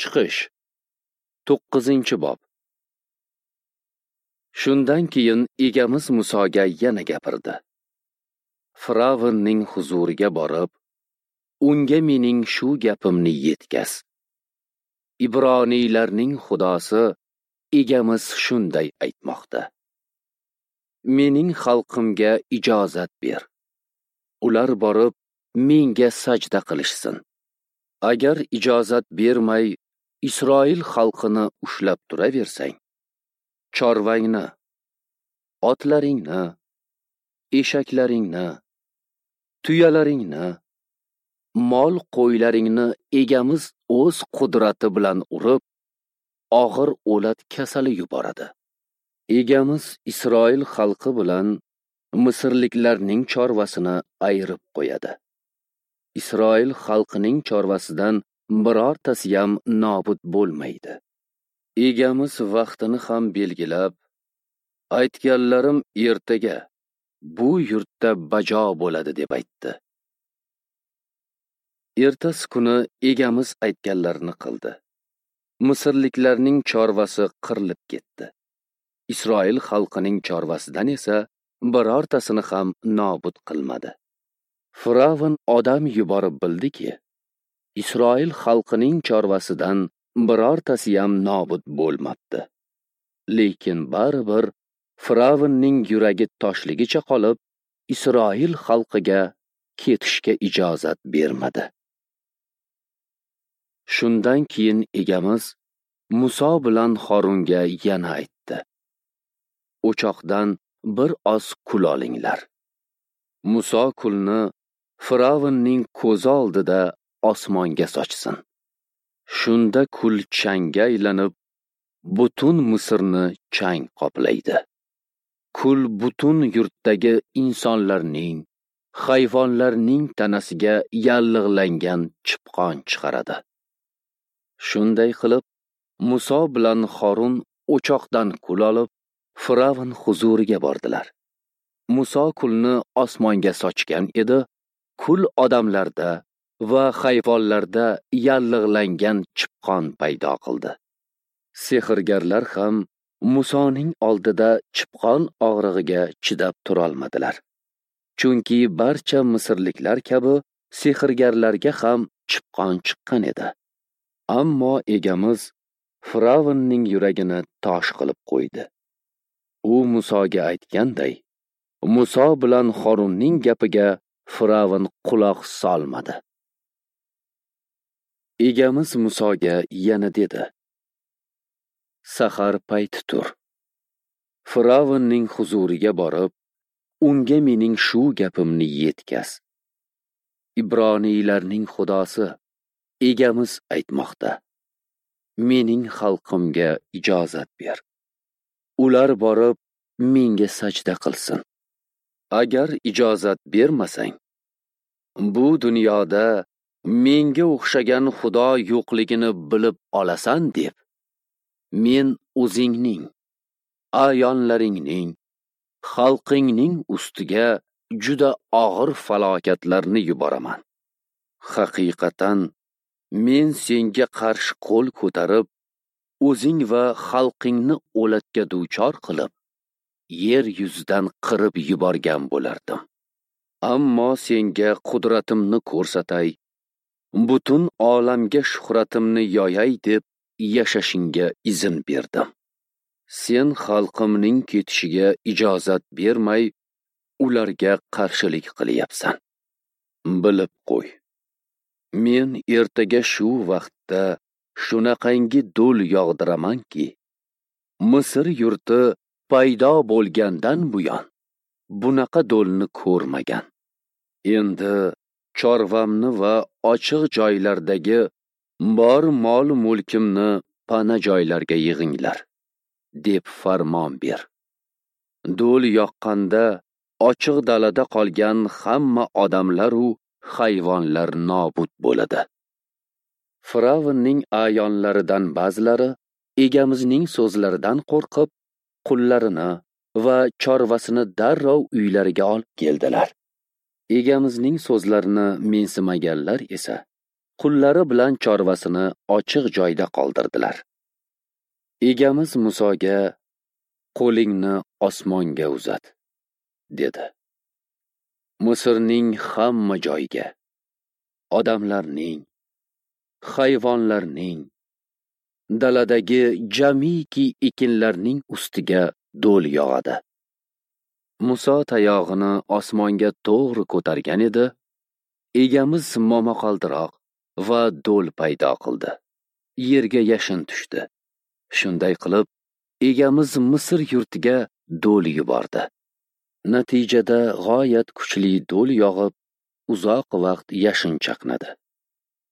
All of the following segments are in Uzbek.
Chiqish 9-bob. Shundan keyin egamiz Musoga yana gapirdi. Firavnning huzuriga borib, unga mening shu gapimni yetkaz. Ibroniylarning Xudosi egamiz shunday aytmoqda: Mening xalqimga ijozat ber. Ular borib menga sajda qilishsin. Agar ijozat bermay Isroil xalqini ushlab turaversang, chorvangni, otlaringni, eshaklaringni, tuyalaringni, mol qo'ylaringni egamiz o'z qudrati bilan urib, og'ir o'lat kasali yuboradi. Egamiz Isroil xalqi bilan misrliklarning chorvasini ayirib qo'yadi. Isroil xalqining chorvasidan birortasi ham nobud bo'lmaydi. Egamiz vaqtini ham belgilab, aytganlarim ertaga bu yurtda bajo bo'ladi deb aytdi. Ertasi kuni egamiz aytganlarini qildi. Misrliklarning chorvasi qirilib ketdi. Isroil xalqining chorvasidan esa birortasini ham nobud qilmadi. Firavn odam yuborib bildiki, Isroil xalqining chorvasidan birortasi ham nobud bo'lmabdi. Lekin baribir Firavnning yuragi toshligicha qolib, Isroil xalqiga ketishga ijozat bermadi. Shundan keyin egamiz Muso bilan Horunga yana aytdi: O'choqdan bir oz kul olinglar. Muso kulni Firavnning ko'zi oldida osmonga sochsin. Shunda kul changga aylanib, butun Misrni chang qoplaydi. Kul butun yurtdagi insonlarning, hayvonlarning tanasiga yallig'langan chipqon chiqaradi. Shunday qilib, Muso bilan Horun o'choqdan kul olib, Firavn huzuriga bordilar. Muso kulni osmonga sochgan edi, kul odamlarda va hayvonlarda yallig'langan chipqon paydo qildi. Sehrgarlar ham Musoning oldida chipqon og'rig'iga chidab turolmadilar. Chunki barcha misrliklar kabi sehrgarlarga ham chipqon chiqqan edi. Ammo egamiz Firavnning yuragini tosh qilib qo'ydi. U Musoga aytganday, Muso bilan Horunning gapiga Firavn quloq solmadi. Egamiz Musoga yana dedi: Sahar payti tur. Firavnning huzuriga borib, unga mening shu gapimni yetkaz. Ibroniylarning Xudosi egamiz aytmoqda: Mening xalqimga ijozat ber. Ular borib menga sajda qilsin. Agar ijozat bermasang, bu dunyoda menga o'xshagan Xudo yo'qligini bilib olasan deb, men o'zingning, ayonlaringning, xalqingning ustiga juda og'ir falokatlarni yuboraman. Haqiqatan men senga qarshi qo'l ko'tarib, o'zing va xalqingni o'latga duchor qilib, yer yuzidan qirib yuborgan bo'lardim. Ammo senga qudratimni ko'rsatay, butun olamga shuhratimni yoyay deb yashashingga izn berdim. Sen xalqimning ketishiga ijozat bermay, ularga qarshilik qilyapsan. Bilib qo'y. Men ertaga shu vaqtda shunaqangi do'l yog'diramanki, Misr yurti paydo bo'lgandan buyon bunaqa do'lni ko'rmagan. Endi chorvamni va ochiq joylardagi bor mol-mulkimni pana joylarga yig'inglar, deb farmon ber. Do'l yoqqanda ochiq dalada qolgan hamma odamlar u hayvonlar nobud bo'ladi. Firavnning ayonlaridan ba'zilari egamizning so'zlaridan qo'rqib, qullarini va chorvasini darrov uylariga olib keldilar. Egamizning so'zlarini mensimaganlar esa Qullari bilan chorvasini ochiq joyda qoldirdilar. Egamiz Musoga: "Qo'lingni osmonga uzat", dedi. Misrning hamma joyiga, odamlarning, hayvonlarning, daladagi jamiki ekinlarning ustiga do'l yog'adi. Muso tayog'ini osmonga to'g'ri ko'targan edi, egamiz momaqaldiroq va do'l paydo qildi. Yerga yashin tushdi. Shunday qilib, egamiz Misr yurtiga do'l yubordi. Natijada g'oyat kuchli do'l yog'ib, uzoq vaqt yashin chaqnadi.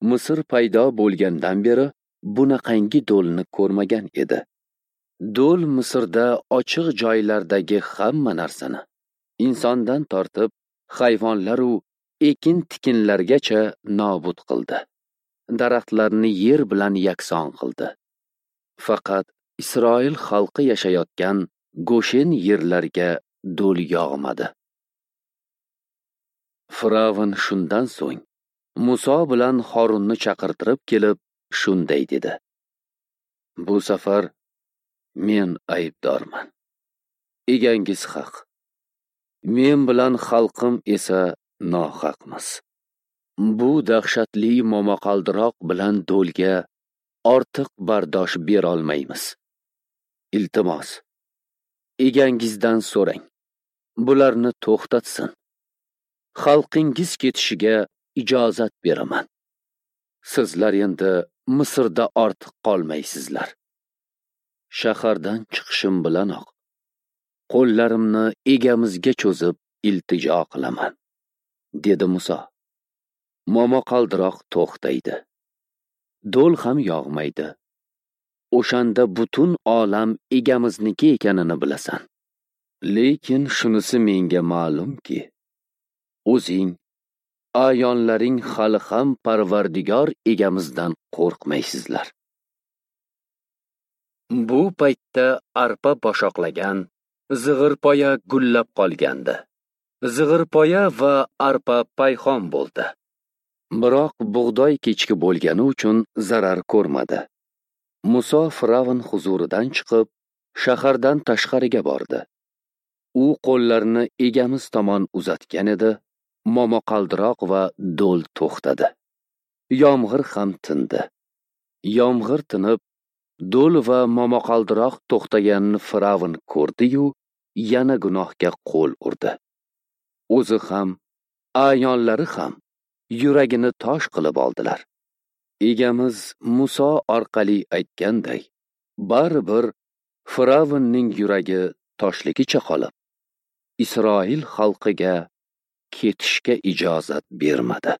Misr paydo bo'lgandan beri bunaqangi do'lni ko'rmagan edi. Do'l Misrda ochiq joylardagi hamma narsani, insondan tortib hayvonlar-u ekin-tikinlargacha nobud qildi. Daraxtlarni yer bilan yakson qildi. Faqat Isroil xalqi yashayotgan Goshen yerlarga do'l yog'madi. Firavn shundan so'ng Muso bilan Horunni chaqirtirib kelib shunday dedi: "Bu safar men aybdorman. Egangiz haq. Men bilan xalqim esa nohaqmiz. Bu dahshatli momaqaldiroq bilan do'lga ortiq bardosh berolmaymiz. Iltimos, egangizdan so'rang, bularni to'xtatsin. Xalqingiz ketishiga ijozat beraman. Sizlar endi Misrda ortiq qolmaysizlar. Shahardan chiqishim bilanoq qo'llarimni egamizga cho'zib iltijo qilaman", dedi Muso. Momaqaldiroq to'xtaydi. Do'l ham yog'maydi. O'shanda butun olam egamizniki ekanini bilasan. Lekin shunisi menga ma'lumki, o'zing, ayonlaring hali ham Parvardigor egamizdan qo'rqmaysizlar. Bu paytda arpa boshoqlagan, zig'irpoya gullab qolgandi. Zig'irpoya va arpa payxon bo'ldi. Biroq bug'doy kechki bo'lgani uchun zarar ko'rmadi. Muso Firavn huzuridan chiqib, shahardan tashqariga bordi. U qo'llarini egamiz tomon uzatgan edi, momaqaldiroq va do'l to'xtadi. Yomg'ir ham tindi. Yomg'ir tinib, do'l va momaqaldiroq to'xtaganini Firavn ko'rdi-yu, yana gunohga qo'l urdi. O'zi ham, ayonlari ham yuragini tosh qilib oldilar. Egamiz Muso orqali aytganday, baribir Firavnning yuragi toshligicha qolib, Isroil xalqiga ketishga ijozat bermadi.